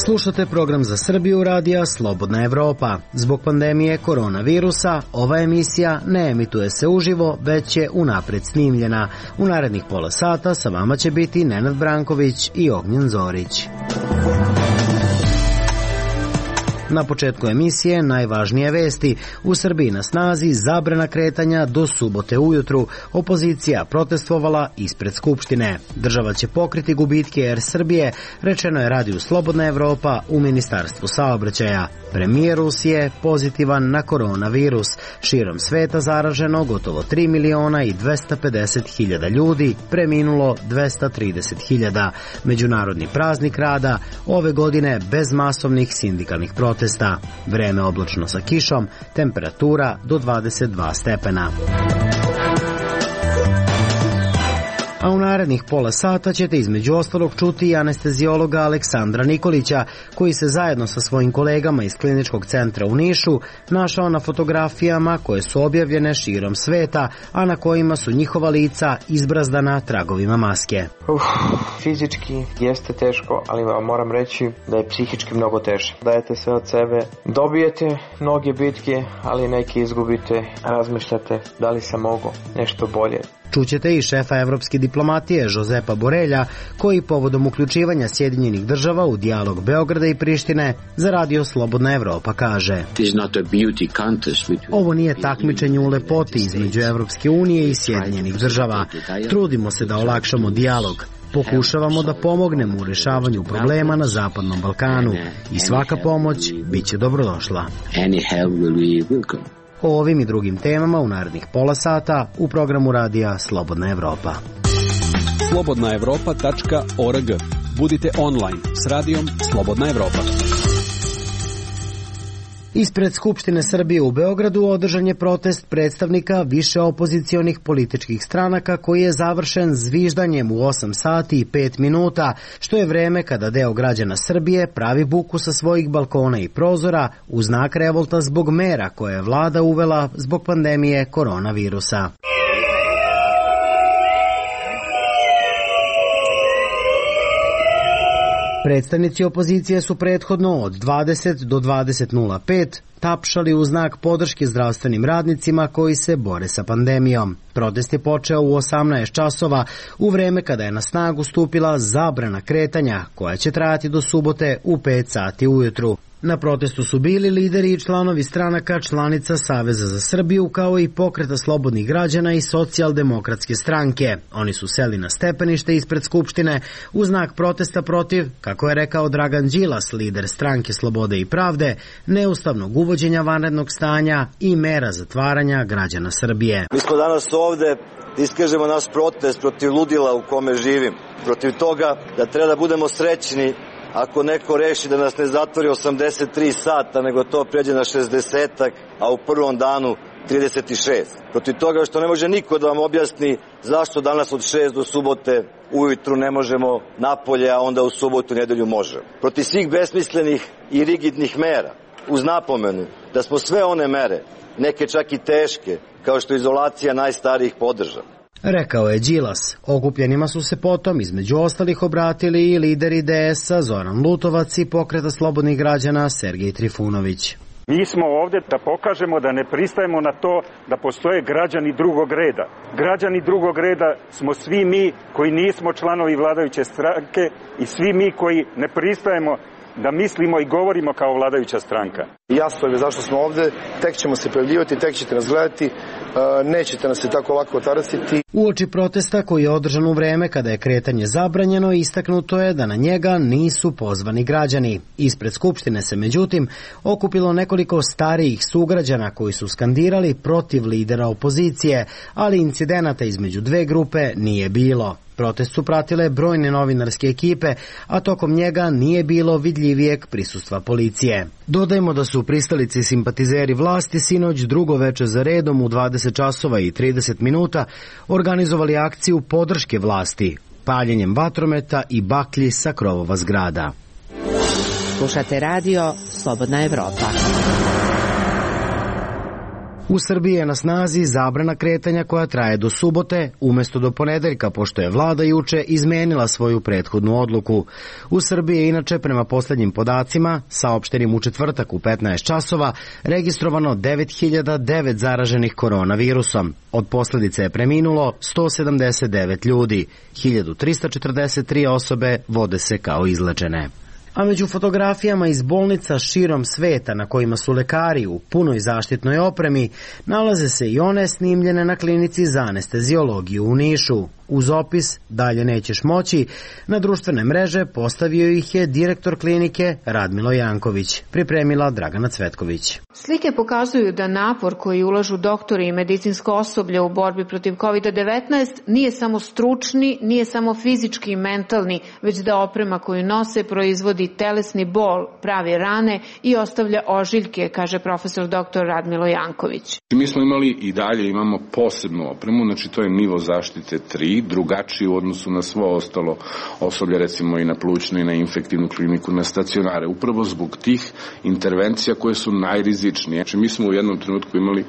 Slušate program za Srbiju radija Slobodna Evropa. Zbog pandemije koronavirusa, ova emisija ne emituje se uživo, već je unapred snimljena. U narednih pola sata sa vama će biti Nenad Branković i Ognjen Zorić. Na početku emisije najvažnije vesti. U Srbiji na snazi zabrana kretanja do subote ujutru. Opozicija protestvovala ispred Skupštine. Država će pokriti gubitke Air Srbije, rečeno je radiju Slobodna Evropa u Ministarstvu saobraćaja. Premijer Rusije pozitivan na koronavirus. Širom sveta zaraženo gotovo 3.250.000 ljudi, preminulo 230.000. Međunarodni praznik rada ove godine bez masovnih sindikalnih protesta. Vreme oblačno sa kišom, temperatura do 22 stepena. A u narednih pola sata ćete između ostalog čuti i anestezijologa Aleksandra Nikolića, koji se zajedno sa svojim kolegama iz Kliničkog centra u Nišu našao na fotografijama koje su objavljene širom sveta, a na kojima su njihova lica izbrazdana tragovima maske. Fizički jeste teško, ali vam moram reći da je psihički mnogo teže. Dajete sve od sebe, dobijete mnoge bitke, ali neke izgubite, razmišljate da li sam mogao nešto bolje. Čućete i šefa evropske diplomatije Josepa Borelja, koji povodom uključivanja Sjedinjenih država u dijalog Beograda i Prištine za radio Slobodna Evropa kaže: Ovo nije takmičenje u lepoti između Evropske unije i Sjedinjenih država. Trudimo se da olakšamo dijalog. Pokušavamo da pomognemo u rešavanju problema na Zapadnom Balkanu i svaka pomoć biće dobrodošla. O ovim i drugim temama u narednih pola sata u programu radija Slobodna Evropa. slobodnaevropa.org. Budite online s radijom Slobodna Evropa. Ispred Skupštine Srbije u Beogradu održan je protest predstavnika više opozicionih političkih stranaka koji je završen zviždanjem u 8 sati i 5 minuta, što je vreme kada deo građana Srbije pravi buku sa svojih balkona i prozora u znak revolta zbog mera koje je vlada uvela zbog pandemije koronavirusa. Predstavnici opozicije su prethodno od 20 do 20:05 tapšali u znak podrške zdravstvenim radnicima koji se bore sa pandemijom. Protest je počeo u 18 časova, u vreme kada je na snagu stupila zabrana kretanja, koja će trajati do subote u 5 sati ujutru. Na protestu su bili lideri i članovi stranaka članica Saveza za Srbiju, kao i Pokreta slobodnih građana i Socijaldemokratske stranke. Oni su seli na stepenište ispred Skupštine u znak protesta protiv, kako je rekao Dragan Đilas, lider stranke Slobode i pravde, neustavnog uvođenja vanrednog stanja i mera zatvaranja građana Srbije. Mi smo danas ovde da iskažemo naš protest protiv ludila u kome živim, protiv toga da treba da budemo srećni ako neko reši da nas ne zatvori 83 sata, nego to pređe na 60-ak, a u prvom danu 36. Protiv toga što ne može niko da vam objasni zašto danas od 6 do subote ujutru ne možemo napolje, a onda u subotu nedelju možemo. Protiv svih besmislenih i rigidnih mera, uz napomenu da smo sve one mere, neke čak i teške, kao što je izolacija najstarijih, podržali. Rekao je Đilas. Okupljenima su se potom između ostalih obratili i lideri DS-a Zoran Lutovac i Pokreta slobodnih građana Sergej Trifunović. Mi smo ovde da pokažemo da ne pristajemo na to da postoje građani drugog reda. Građani drugog reda smo svi mi koji nismo članovi vladajuće stranke i svi mi koji ne pristajemo da mislimo i govorimo kao vladajuća stranka. Jasno je zašto smo ovde, tek ćemo se pojavljivati, tek ćete nas gledati, nećete nas se tako lako otarasiti. Uoči protesta koji je održan u vreme kada je kretanje zabranjeno, istaknuto je da na njega nisu pozvani građani. Ispred Skupštine se međutim okupilo nekoliko starijih sugrađana koji su skandirali protiv lidera opozicije, ali incidenata između dve grupe nije bilo. Protest su pratile brojne novinarske ekipe, a tokom njega nije bilo vidljivijeg prisustva policije. Dodajmo da su pristalici simpatizeri vlasti sinoć drugo veče za redom u 20 časova i 30 minuta organizovali akciju podrške vlasti, paljenjem vatrometa i baklji sa krovova zgrada. Slušate radio Slobodna Evropa. U Srbiji je na snazi zabrana kretanja koja traje do subote, umesto do ponedeljka, pošto je vlada juče izmenila svoju prethodnu odluku. U Srbiji je inače, prema poslednjim podacima, saopštenim u četvrtak u 15 časova, registrovano 9009 zaraženih koronavirusom. Od posledice je preminulo 179 ljudi, 1343 osobe vode se kao izlečene. A među fotografijama iz bolnica širom sveta na kojima su lekari u punoj zaštitnoj opremi nalaze se i one snimljene na klinici za anesteziologiju u Nišu. Uz opis "Dalje nećeš moći" na društvene mreže postavio ih je direktor klinike Radmilo Janković, pripremila Dragana Cvetković. Slike pokazuju da napor koji ulažu doktori i medicinsko osoblje u borbi protiv COVID-19 nije samo stručni, nije samo fizički i mentalni, već da oprema koju nose proizvodi telesni bol, pravi rane i ostavlja ožiljke, kaže profesor dr. Radmilo Janković. Mi smo imali i dalje imamo posebnu opremu, znači to je nivo zaštite 3, drugačiji u odnosu na svo ostalo osoblje, recimo i na plućnu i na infektivnu kliniku, na stacionare, upravo zbog tih intervencija koje su najrizičnije. Znači mi smo u jednom trenutku imali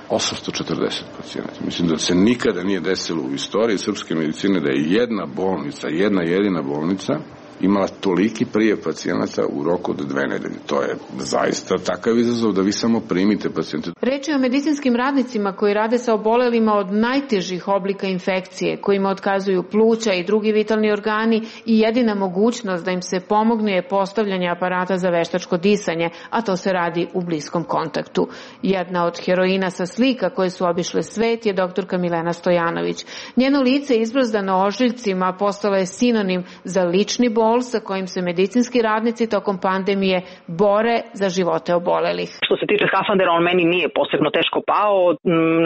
840 pacijenata. Mislim da se nikada nije desilo u istoriji srpske medicine da je jedna bolnica, jedna jedina bolnica imala toliki prijev pacijenata u roku od 2 nedelje. To je zaista takav izazov da vi samo primite pacijente. Reč je o medicinskim radnicima koji rade sa obolelima od najtežih oblika infekcije, kojima otkazuju pluća i drugi vitalni organi i jedina mogućnost da im se pomogne je postavljanje aparata za veštačko disanje, a to se radi u bliskom kontaktu. Jedna od heroina sa slika koje su obišle svet je doktorka Milena Stojanović. Njeno lice izbrzdano ožiljcima postalo je sinonim za lični bol sa kojim se medicinski radnici tokom pandemije bore za živote obolelih. Što se tiče skafandera, on meni nije posebno teško pao,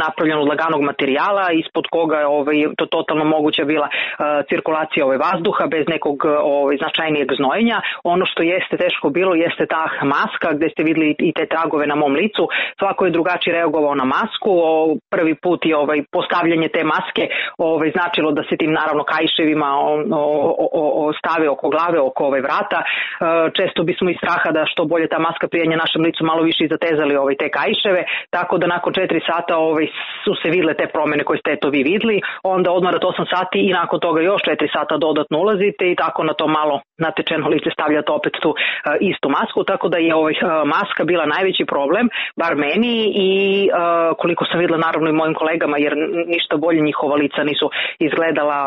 napravljen od laganog materijala, ispod koga je to totalno moguća bila cirkulacija vazduha bez nekog značajnijeg znojenja. Ono što jeste teško bilo jeste ta maska gde ste videli i te tragove na mom licu. Svako je drugačije reagovao na masku. Prvi put je postavljanje te maske značilo da se tim naravno kaiševima stave oko glave, oko vrata. Često bismo iz straha da što bolje ta maska prijenja našem licu malo više i zatezali te kaiševe, tako da nakon 4 sata su se vidle te promene koje ste vi videli, onda odmarate 8 sati i nakon toga još 4 sata dodatno ulazite i tako na to malo natečeno lice stavljate opet tu istu masku, tako da je maska bila najveći problem, bar meni i koliko sam videla naravno i mojim kolegama, jer ništa bolje njihova lica nisu izgledala.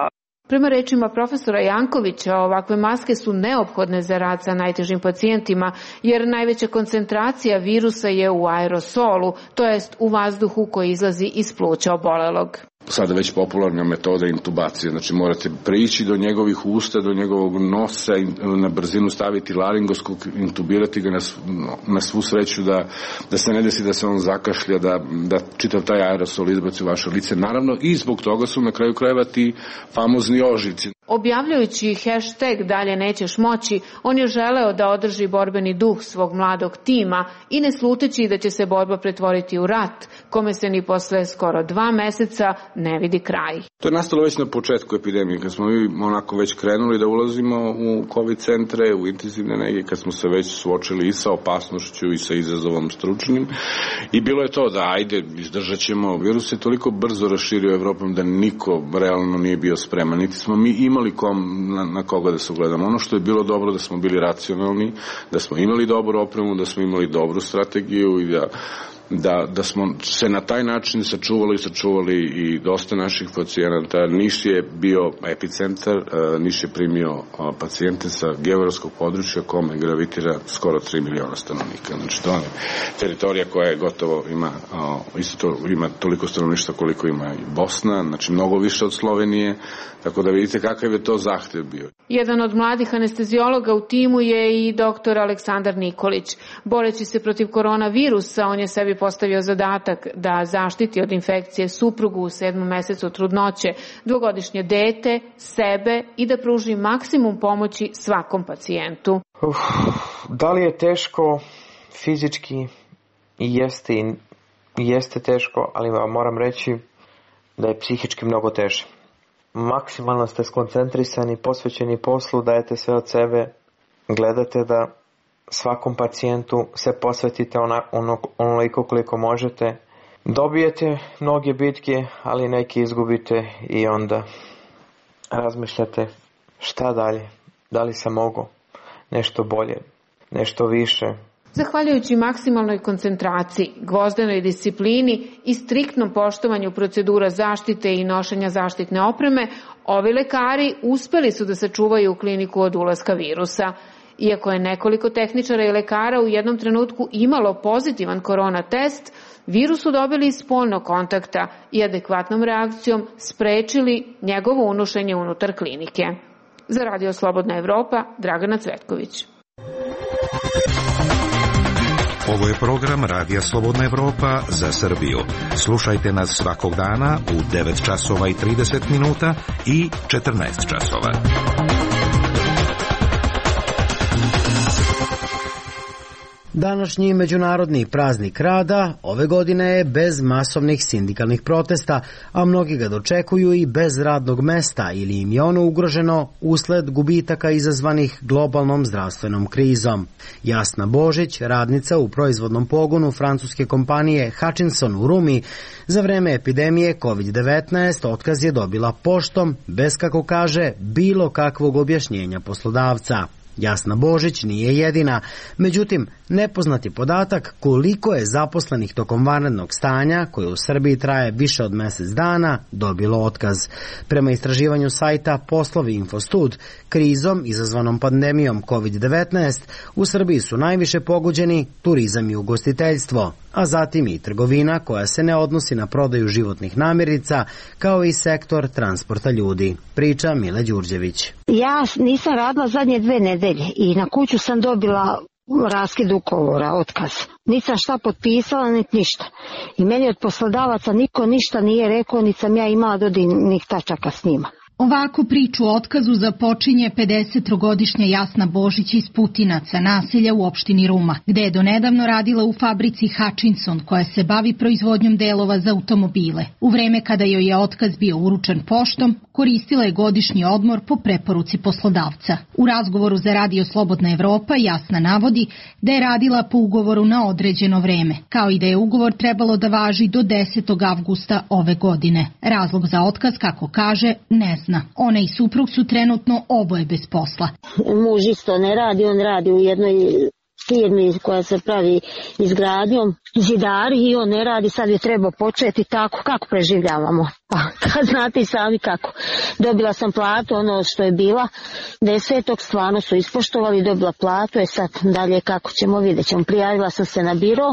Prema rečima profesora Jankovića, ovakve maske su neophodne za rad sa najtežim pacijentima, jer najveća koncentracija virusa je u aerosolu, to jest u vazduhu koji izlazi iz pluća obolelog. Sada već popularna metoda intubacije, znači morate prići do njegovih usta, do njegovog nosa, na brzinu staviti laringoskop, intubirati ga na svu sreću da se ne desi da se on zakašlja, da čitav taj aerosol izbaci u vaše lice. Naravno i zbog toga su na kraju krajeva ti famozni ožiljci. Objavljujući hashtag "Dalje nećeš moći", on je želeo da održi borbeni duh svog mladog tima i ne sluteći da će se borba pretvoriti u rat, kome se ni posle skoro 2 meseca ne vidi kraj. To je nastalo već na početku epidemije, kad smo mi onako već krenuli da ulazimo u COVID centre, u intenzivne nege, kad smo se već suočili i sa opasnošću i sa izazovom stručnim. I bilo je to da ajde, izdržat ćemo. Virus je toliko brzo raširio Evropom da niko realno nije bio spreman. Niti smo mi imali na koga da se ugledamo. Ono što je bilo dobro da smo bili racionalni, da smo imali dobru opremu, da smo imali dobru strategiju i da smo se na taj način sačuvali i dosta naših pacijenata. Niš je bio epicentar, Niš je primio pacijente sa geografskog područja kome gravitira skoro 3 miliona stanovnika. Znači to je teritorija koja je gotovo ima toliko stanovništva koliko ima i Bosna, znači mnogo više od Slovenije, tako da vidite kakav je to zahtev bio. Jedan od mladih anesteziologa u timu je i dr. Aleksandar Nikolić. Boreći se protiv koronavirusa, on je sebi postavio zadatak da zaštiti od infekcije suprugu u 7. mesecu trudnoće, 2-godišnje dete, sebe i da pruži maksimum pomoći svakom pacijentu. Da li je teško fizički? Jeste teško, ali vam moram reći da je psihički mnogo teže. Maksimalno ste skoncentrisani, posvećeni poslu, dajete sve od sebe, gledate da svakom pacijentu se posvetite onoliko koliko možete Dobijete mnoge bitke, ali neke izgubite i onda razmišljate šta dalje, da li sam mogao nešto bolje, nešto više. Zahvaljujući maksimalnoj koncentraciji, gvozdenoj disciplini i striktnom poštovanju procedura zaštite i nošenja zaštitne opreme, ovi lekari uspeli su da sačuvaju kliniku od ulaska virusa. Iako je nekoliko tehničara i lekara u jednom trenutku imalo pozitivan korona test, virus su dobili iz spoljnog kontakta i adekvatnom reakcijom sprečili njegovo unošenje unutar klinike. Za Radio Slobodna Evropa, Dragana Cvetković. Ovo je program Radija Slobodna Evropa za Srbiju. Slušajte nas svakog dana u 9 časova i 30 minuta i 14 časova. Današnji međunarodni praznik rada ove godine je bez masovnih sindikalnih protesta, a mnogi ga dočekuju i bez radnog mesta ili im je ono ugroženo usled gubitaka izazvanih globalnom zdravstvenom krizom. Jasna Božić, radnica u proizvodnom pogonu francuske kompanije Hutchinson u Rumi, za vreme epidemije COVID-19 otkaz je dobila poštom, bez, kako kaže, bilo kakvog objašnjenja poslodavca. Jasna Božić nije jedina, međutim, nepoznati podatak koliko je zaposlenih tokom vanrednog stanja, koje u Srbiji traje više od mjesec dana, dobilo otkaz. Prema istraživanju sajta Poslovi Infostud, krizom izazvanom pandemijom COVID-19 u Srbiji su najviše pogođeni turizam i ugostiteljstvo, a zatim i trgovina koja se ne odnosi na prodaju životnih namirnica, kao i sektor transporta ljudi. Priča Mile Đurđević. Ja nisam radila zadnje 2 nedelje i na kuću sam dobila raskid ugovora, otkaz. Nisam šta potpisala, niti ništa. I meni od poslodavaca niko ništa nije rekao, niti sam ja imala dodirnih tačaka s njima. Ovako priču o otkazu započinje 53-godišnja Jasna Božić iz Putinaca, naselja u opštini Ruma, gde je donedavno radila u fabrici Hutchinson, koja se bavi proizvodnjom delova za automobile. U vreme kada joj je otkaz bio uručen poštom, koristila je godišnji odmor po preporuci poslodavca. U razgovoru za Radio Slobodna Evropa Jasna navodi da je radila po ugovoru na određeno vreme, kao i da je ugovor trebalo da važi do 10. avgusta ove godine. Razlog za otkaz, kako kaže, ne zna. Ona i suprug su trenutno oboje bez posla. Muž isto ne radi, on radi u jednoj firmi koja se pravi izgradnjom, zidar, i on ne radi, sad je treba početi tako. Kako preživljavamo? Pa, kad znate i sami kako. Dobila sam platu, ono što je bila 10. stvarno su ispoštovali, dobila platu, sad dalje kako ćemo, vidjet ćemo. Prijavila sam se na biro,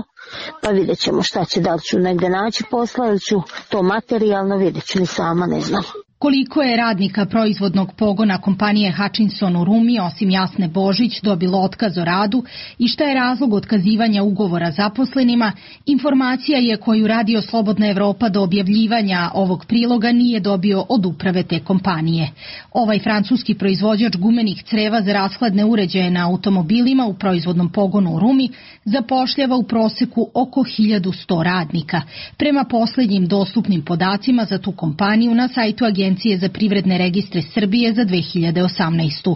pa vidjet ćemo šta će, da li ću negde naći posla ili ću to materijalno, vidjet ću, ni sama ne znam. Koliko je radnika proizvodnog pogona kompanije Hutchinson u Rumi, osim Jasne Božić, dobilo otkaz o radu i šta je razlog otkazivanja ugovora zaposlenima, informacija je koju Radio Slobodna Evropa do objavljivanja ovog priloga nije dobio od uprave te kompanije. Ovaj francuski proizvođač gumenih creva za rashladne uređaje na automobilima u proizvodnom pogonu u Rumi zapošljava u proseku oko 1100 radnika. Prema posljednjim dostupnim podacima za tu kompaniju na sajtu Agencije za privredne registre Srbije za 2018.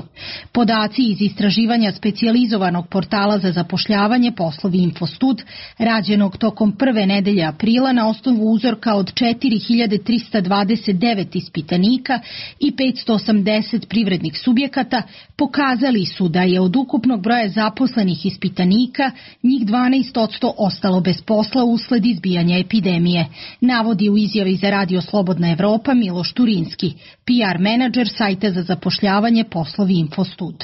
Podaci iz istraživanja specijalizovanog portala za zapošljavanje Poslovi Infostud, rađenog tokom prve nedelje aprila na osnovu uzorka od 4329 ispitanika i 580 privrednih subjekata, pokazali su da je od ukupnog broja zaposlenih ispitanika njih 12% ostalo bez posla usled izbijanja epidemije, navodi u izjavi za Radio Slobodna Evropa Miloš Turinski, PR menadžer sajta za zapošljavanje Poslovi Infostud.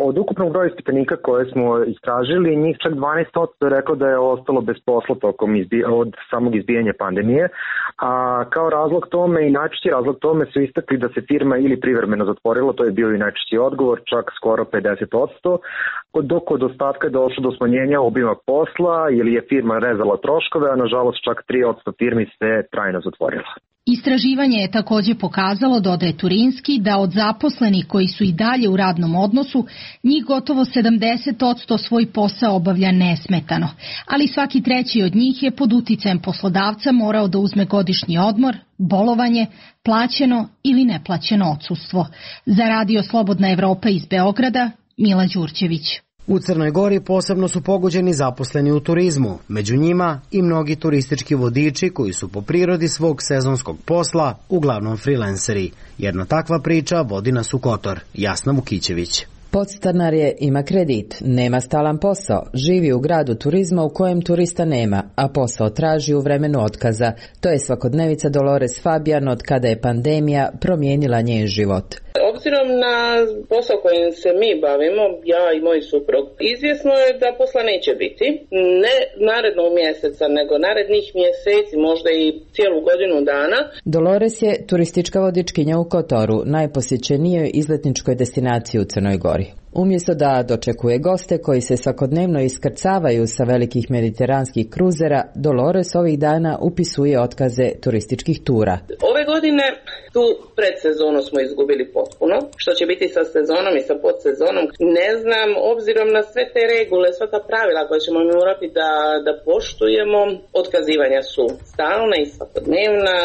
Od ukupnog broja ispitanika koje smo istražili, njih čak 12% je rekao da je ostalo bez posla tokom od samog izbijanja pandemije, a kao razlog tome i najčešći razlog tome su istakli da se firma ili privremeno zatvorila, to je bio i najčešći odgovor, čak skoro 50%, dok od ostatka je došlo do smanjenja obima posla ili je firma rezala troškove, a nažalost čak 3% firmi se trajno zatvorila. Istraživanje je također pokazalo, dodaje Turinski, da od zaposlenih koji su i dalje u radnom odnosu, njih gotovo 70% svoj posao obavlja nesmetano, ali svaki treći od njih je pod uticajem poslodavca morao da uzme godišnji odmor, bolovanje, plaćeno ili neplaćeno odsustvo. Za Radio Slobodna Evropa iz Beograda, Mila Đurđević. U Crnoj Gori posebno su pogođeni zaposleni u turizmu, među njima i mnogi turistički vodiči koji su po prirodi svog sezonskog posla uglavnom freelanceri. Jedna takva priča vodi nas u Kotor. Jasna Vukićević. Podstanar je, ima kredit, nema stalan posao, živi u gradu turizma u kojem turista nema, a posao traži u vremenu otkaza. To je svakodnevica Dolores Fabijan od kada je pandemija promijenila njen život. Obzirom na posao kojim se mi bavimo, ja i moj suprug, izvjesno je da posla neće biti. Ne narednog mjeseca, nego narednih mjeseci, možda i cijelu godinu dana. Dolores je turistička vodičkinja u Kotoru, najposjećenijoj izletničkoj destinaciji u Crnoj Gori. Umjesto da dočekuje goste koji se svakodnevno iskrcavaju sa velikih mediteranskih kruzera, Dolores ovih dana upisuje otkaze turističkih tura. Ove godine tu predsezonu smo izgubili potpuno. Što će biti sa sezonom i sa podsezonom, ne znam, obzirom na sve te regule, sva ta pravila koje ćemo morati da poštujemo, otkazivanja su stalna i svakodnevna.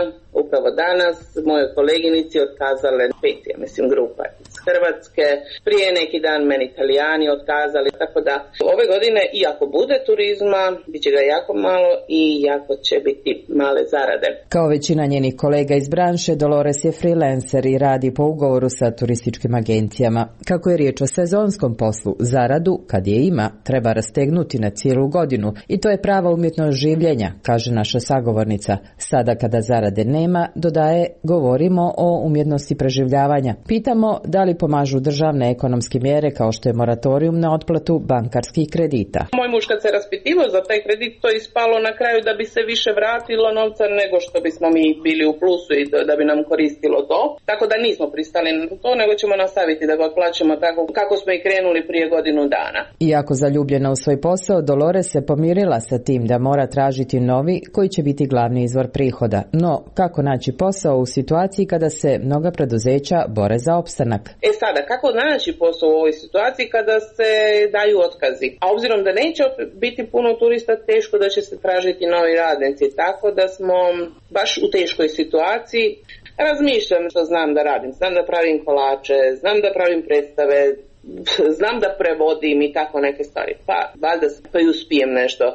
Upravo danas moje koleginici otkazale 5, grupa iz Hrvatske. Prije neki dan meni Italijani otkazali, tako da ove godine, iako bude turizma, bit će ga jako malo i jako će biti male zarade. Kao većina njenih kolega iz branše, Dolores je freelancer i radi po ugovoru sa turističkim agencijama. Kako je riječ o sezonskom poslu, zaradu, kad je ima, treba rastegnuti na cijelu godinu i to je prava umjetnost življenja, kaže naša sagovornica. Sada kada zarade nema, dodaje, govorimo o umjetnosti preživljavanja. Pitamo da li pomažu državne ekonomske mjere kao što je moratorijum na otplatu bankarskih kredita. Moj muž kad se raspitivao za taj kredit, to je ispalo na kraju da bi se više vratilo novca nego što bismo mi bili u plusu i da bi nam koristilo to. Tako da nismo pristali na to, nego ćemo nastaviti da ga otplaćamo tako kako smo i krenuli prije godinu dana. Iako zaljubljena u svoj posao, Dolores se pomirila sa tim da mora tražiti novi koji će biti glavni izvor prihoda. No, kako naći posao u situaciji kada se mnoga preduzeća bore za opstanak? Sada, kako naći posao u ovoj situaciji kada se daju otkazi? A obzirom da neće biti puno turista, teško da će se tražiti novi radnici, tako da smo baš u teškoj situaciji. Razmišljam što znam da radim, znam da pravim kolače, znam da pravim predstave, znam da prevodim i tako neke stvari. Pa valjda i uspijem nešto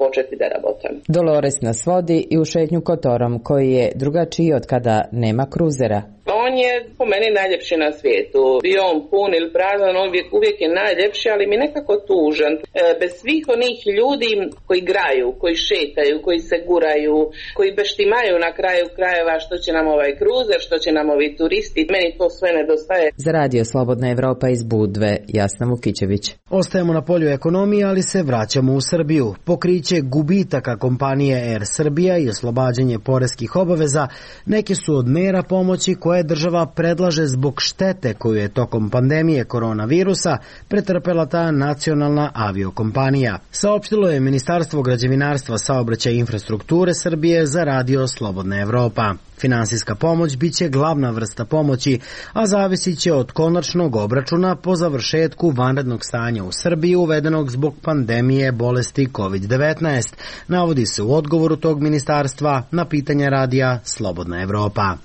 početi da rabotam. Dolores nas vodi i u šetnju Kotorom, koji je drugačiji od kada nema kruzera. On je po meni najljepši na svijetu. Bio on pun ili prazan, on uvijek je najljepši, ali mi nekako tužan. Bez svih onih ljudi koji igraju, koji šetaju, koji se guraju, koji beštimaju na kraju krajeva što će nam ovaj kruzer, što će nam ovi turisti, meni to sve nedostaje. Za Radio Slobodna Evropa iz Budve, Jasna Vukićević. Ostajemo na polju ekonomije, ali se vraćamo u Srbiju. Pokriće gubitaka kompanije Air Srbija i oslobađanje poreskih obaveza neke su od mera pomoći koje država predlaže zbog štete koju je tokom pandemije koronavirusa pretrpela ta nacionalna aviokompanija. Saopštilo je Ministarstvo građevinarstva, saobraćaja i infrastrukture Srbije za Radio Slobodna Evropa. Finansijska pomoć biće glavna vrsta pomoći, a zavisit će od konačnog obračuna po završetku vanrednog stanja u Srbiji uvedenog zbog pandemije bolesti COVID-19, navodi se u odgovoru tog ministarstva na pitanje radija Slobodna Evropa.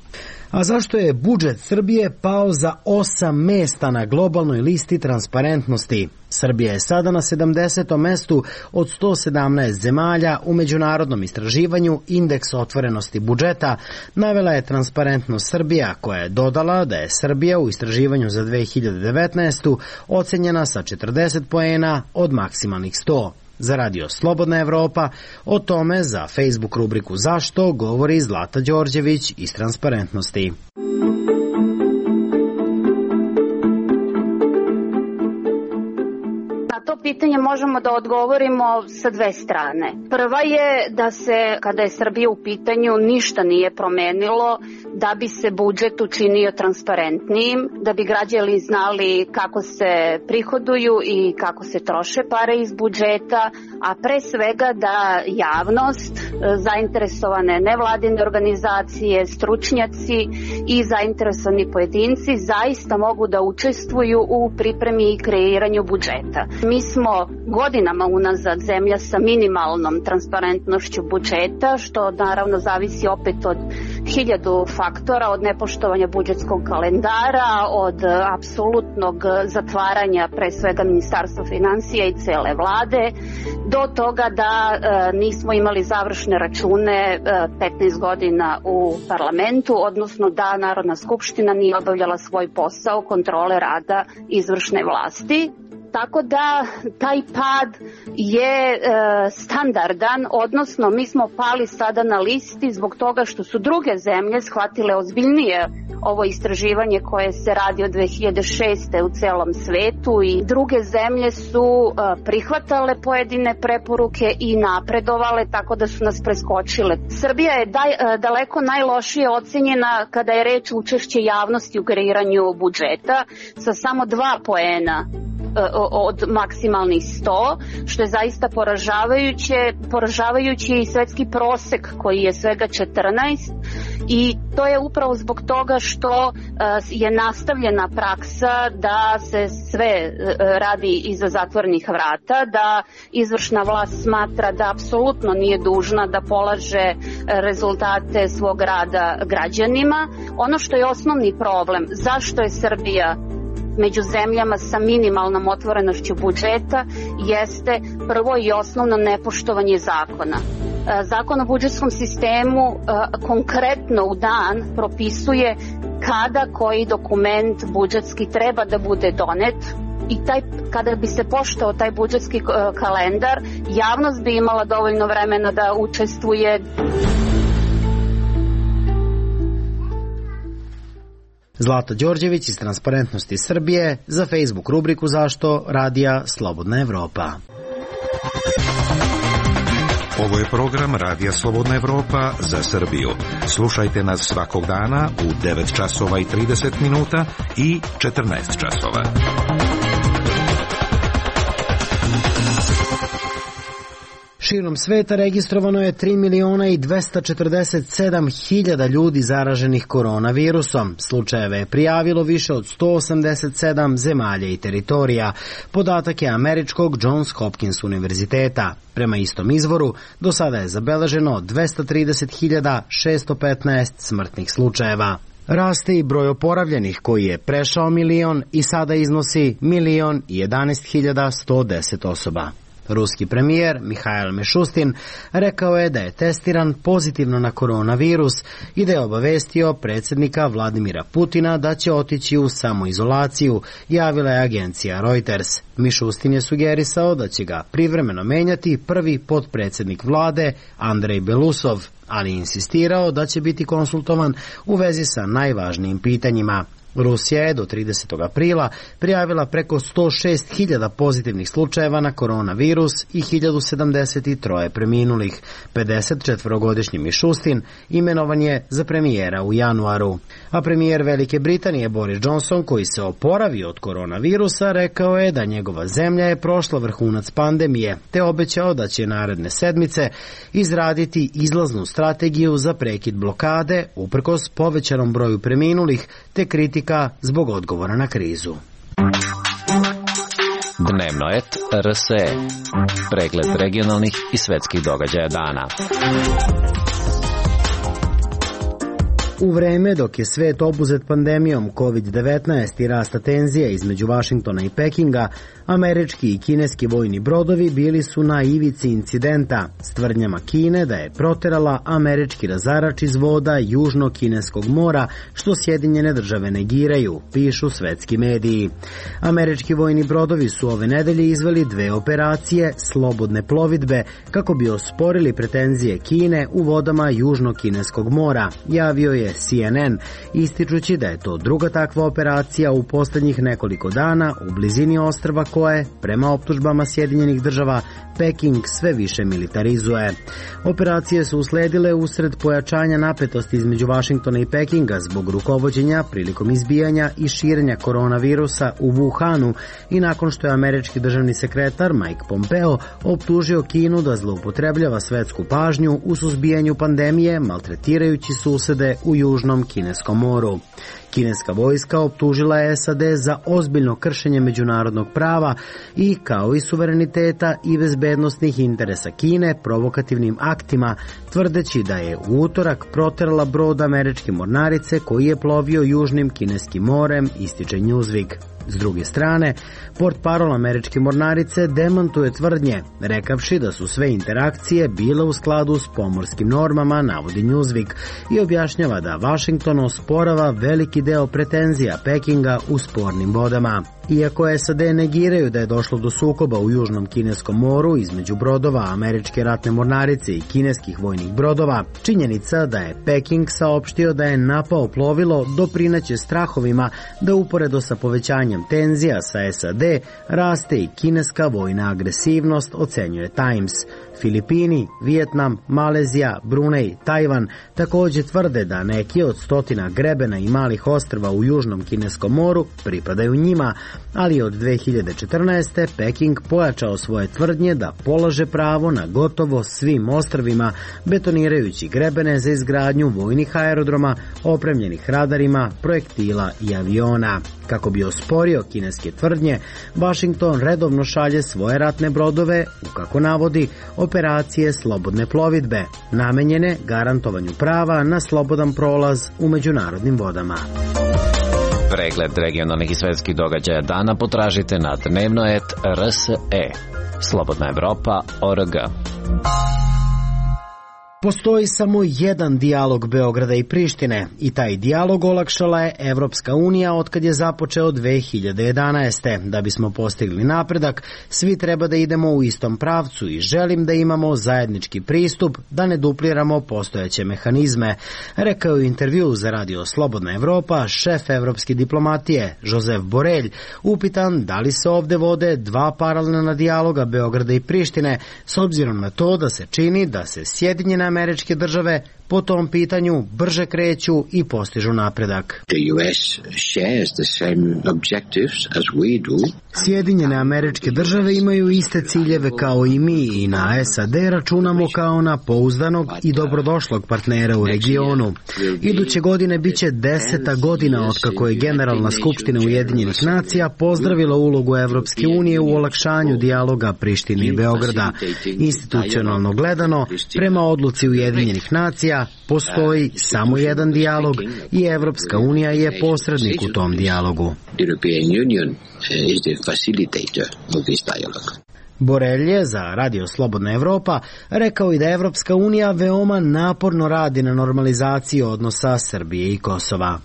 A zašto je budžet Srbije pao za 8 mjesta na globalnoj listi transparentnosti? Srbija je sada na 70. mestu od 117 zemalja u međunarodnom istraživanju Indeks otvorenosti budžeta, navela je Transparentnost Srbija, koja je dodala da je Srbija u istraživanju za 2019. ocenjena sa 40 poena od maksimalnih 100. Za Radio Slobodna Evropa o tome za Facebook rubriku Zašto govori Zlata Đorđević iz Transparentnosti. Pitanje možemo da odgovorimo sa dve strane. Prva je da se, kada je Srbija u pitanju, ništa nije promenilo da bi se budžet učinio transparentnijim, da bi građani znali kako se prihoduju i kako se troše pare iz budžeta, a pre svega da javnost, zainteresovane nevladine organizacije, stručnjaci i zainteresovani pojedinci zaista mogu da učestvuju u pripremi i kreiranju budžeta. Mi smo godinama unazad zemlja sa minimalnom transparentnošću budžeta, što naravno zavisi opet od 1000 faktora, od nepoštovanja budžetskog kalendara, od apsolutnog zatvaranja pre svega Ministarstva finansija i cele vlade, do toga da nismo imali završne račune 15 godina u parlamentu, odnosno da Narodna skupština nije obavljala svoj posao kontrole rada izvršne vlasti. Tako da taj pad je standardan, odnosno mi smo pali sada na listi zbog toga što su druge zemlje shvatile ozbiljnije ovo istraživanje koje se radi od 2006. u celom svetu i druge zemlje su prihvatale pojedine preporuke i napredovale, tako da su nas preskočile. Srbija je daleko najlošije ocenjena kada je reč o učešće javnosti u kreiranju budžeta sa samo 2 poena od maksimalnih 100, što je zaista poražavajući i svetski prosek koji je svega 14, i to je upravo zbog toga što je nastavljena praksa da se sve radi iza zatvorenih vrata, da izvršna vlast smatra da apsolutno nije dužna da polaže rezultate svog rada građanima. Ono što je osnovni problem, zašto je Srbija među zemljama sa minimalnom otvorenošću budžeta, jeste prvo i osnovno nepoštovanje zakona. Zakon o budžetskom sistemu konkretno u dan propisuje kada koji dokument budžetski treba da bude donet, i kada bi se poštovao taj budžetski kalendar, javnost bi imala dovoljno vremena da učestvuje. Zlata Đorđević iz Transparentnosti Srbije za Facebook rubriku Zašto Radija Slobodna Evropa. Ovo je program Radija Slobodna Evropa za Srbiju. Slušajte nas svakog dana u 9 časova i 30 minuta i 14 časova. Širom sveta registrovano je 3.247.000 ljudi zaraženih koronavirusom. Slučajeve je prijavilo više od 187 zemalja i teritorija. Podatak je američkog Johns Hopkins univerziteta. Prema istom izvoru, do sada je zabeleženo 230.615 smrtnih slučajeva. Raste i broj oporavljenih koji je prešao 1.000.000 i sada iznosi 1.011.110 osoba. Ruski premijer Mihail Mishustin rekao je da je testiran pozitivno na koronavirus i da je obavestio predsjednika Vladimira Putina da će otići u samoizolaciju, javila je agencija Reuters. Mishustin je sugerisao da će ga privremeno menjati prvi potpredsjednik vlade Andrej Belousov, ali insistirao da će biti konsultovan u vezi sa najvažnijim pitanjima. Rusija je do 30. aprila prijavila preko 106.000 pozitivnih slučajeva na koronavirus i 1.073 preminulih. 54-godišnji Mishustin imenovan je za premijera u januaru. A premijer Velike Britanije Boris Johnson, koji se oporavio od koronavirusa, rekao je da njegova zemlja je prošla vrhunac pandemije, te obećao da će naredne sedmice izraditi izlaznu strategiju za prekid blokade, uprkos povećanom broju preminulih, te kritika zbog odgovora na krizu. Dnevno et RSE. Pregled regionalnih i svetskih događaja dana. U vreme dok je svet obuzet pandemijom COVID-19 i rasta tenzija između Vašingtona i Pekinga, američki i kineski vojni brodovi bili su na ivici incidenta s tvrdnjama Kine da je proterala američki razarač iz voda Južno-kineskog mora, što Sjedinjene države negiraju, pišu svetski mediji. Američki vojni brodovi su ove nedelje izveli 2 operacije slobodne plovidbe kako bi osporili pretenzije Kine u vodama Južno-kineskog mora, javio je CNN, ističući da je to druga takva operacija u poslednjih nekoliko dana u blizini ostrva koje, prema optužbama Sjedinjenih država, Peking sve više militarizuje. Operacije su usledile usred pojačanja napetosti između Vašingtona i Pekinga zbog rukovođenja prilikom izbijanja i širenja koronavirusa u Wuhanu i nakon što je američki državni sekretar Mike Pompeo optužio Kinu da zloupotrebljava svetsku pažnju u suzbijanju pandemije, maltretirajući susede u Južnom kineskom moru. Kineska vojska optužila je SAD za ozbiljno kršenje međunarodnog prava i, kao i suvereniteta i bezbednosnih interesa Kine, provokativnim aktima, tvrdeći da je u utorak proterala brod američke mornarice koji je plovio južnim kineskim morem, ističe Newsweek. S druge strane, portparol američke mornarice demantuje tvrdnje, rekavši da su sve interakcije bile u skladu s pomorskim normama, navodi Newsweek, i objašnjava da Washington osporava veliki deo pretenzija Pekinga u spornim vodama. Iako SAD negiraju da je došlo do sukoba u južnom kineskom moru između brodova američke ratne mornarice i kineskih vojnih brodova, činjenica da je Peking saopštio da je napao plovilo doprineće strahovima da uporedo sa povećanjem tenzija sa SAD raste i kineska vojna agresivnost, ocenjuje Times. Filipini, Vijetnam, Malezija, Brunei, Tajvan također tvrde da neki od stotina grebena i malih ostrva u južnom kineskom moru pripadaju njima, ali od 2014. Peking pojačao svoje tvrdnje da polaže pravo na gotovo svim ostrvima, betonirajući grebene za izgradnju vojnih aerodroma opremljenih radarima, projektila i aviona. Kako bi osporio kineske tvrdnje, Washington redovno šalje svoje ratne brodove u, kako navodi, operacije slobodne plovidbe, namenjene garantovanju prava na slobodan prolaz u međunarodnim vodama. Pregled regionalnih i svetskih događaja dana potražite na dnevno.rs.e. Slobodna Evropa.org. Postoji samo jedan dijalog Beograda i Prištine i taj dijalog olakšala je Evropska unija otkad je započeo 2011. Da bismo postigli napredak, svi treba da idemo u istom pravcu i želim da imamo zajednički pristup, da ne dupliramo postojeće mehanizme, rekao je u intervju za radio Slobodna Evropa šef evropske diplomatije Josep Borrell, upitan da li se ovde vode dva paralelna dijaloga Beograda i Prištine, s obzirom na to da se čini da se Sjedinjene Američke Države po tom pitanju brže kreću i postižu napredak. Sjedinjene Američke Države imaju iste ciljeve kao i mi i na SAD računamo kao na pouzdanog i dobrodošlog partnera u regionu. Iduće godine biće 10. godina otkako je Generalna skupština Ujedinjenih nacija pozdravila ulogu Evropske unije u olakšanju dijaloga Prištine i Beograda. Institucionalno gledano, prema odluci Ujedinjenih nacija, postoji samo jedan dijalog i Evropska unija je posrednik u tom dijalogu. Borrell je za radio Slobodna Evropa rekao i da Evropska unija veoma naporno radi na normalizaciji odnosa Srbije i Kosova.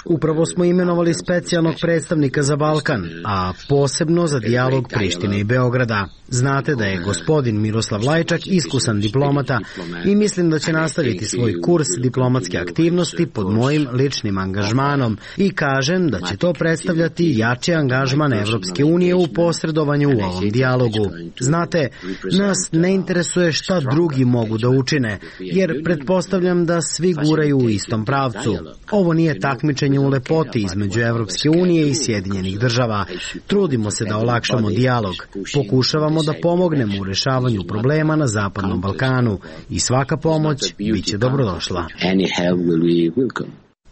Upravo smo imenovali specijalnog predstavnika za Balkan, a posebno za dijalog Prištine i Beograda. Znate da je gospodin Miroslav Lajčak iskusan diplomata i mislim da će nastaviti svoj kurs diplomatske aktivnosti pod mojim ličnim angažmanom i kažem da će to predstavljati jači angažman Evropske unije u posredovanju u ovom dijalogu. Znate, nas ne interesuje šta drugi mogu da učine, jer pretpostavljam da svi guraju u istom pravcu. Ovo nije takmičenje u lepoti između Evropske unije i Sjedinjenih država. Trudimo se da olakšamo dijalog. Pokušavamo da pomognemo u rešavanju problema na Zapadnom Balkanu i svaka pomoć biće dobrodošla.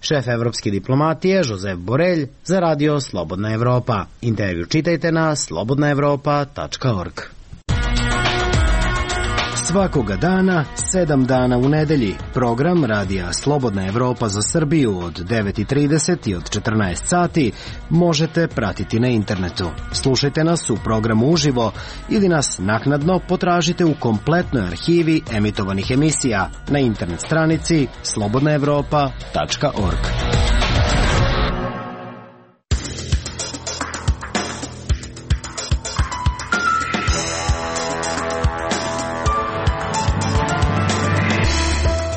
Šef evropske diplomatije Josep Borrell za radio Slobodna Evropa. Intervju čitajte na slobodnaevropa.org. Svakoga dana, 7 dana u nedelji, program radija Slobodna Evropa za Srbiju od 9:30 i od 14 sati možete pratiti na internetu. Slušajte nas u programu uživo ili nas naknadno potražite u kompletnoj arhivi emitovanih emisija na internet stranici slobodnaevropa.org.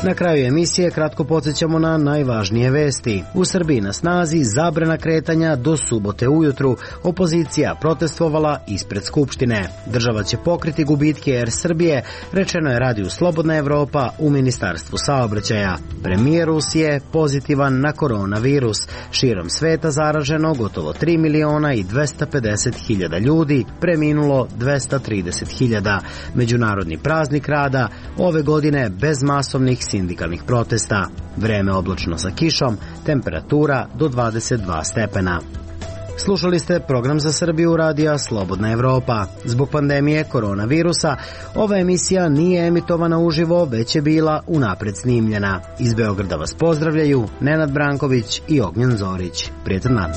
Na kraju emisije kratko podsjećamo na najvažnije vesti. U Srbiji na snazi zabrana kretanja do subote ujutru. Opozicija protestvovala ispred Skupštine. Država će pokriti gubitke Air Srbije, rečeno je radiju Slobodna Evropa u Ministarstvu saobraćaja. Premijer Rusije pozitivan na koronavirus. Širom sveta zaraženo gotovo 3.250.000 ljudi, preminulo 230.000. Međunarodni praznik rada ove godine bez masovnih sindikalnih protesta. Vreme oblačno sa kišom, temperatura do 22 stepena. Slušali ste program za Srbiju radija Slobodna Evropa. Zbog pandemije koronavirusa, ova emisija nije emitovana uživo, već je bila unapred snimljena. Iz Beograda vas pozdravljaju Nenad Branković i Ognjen Zorić. Prijetan dan.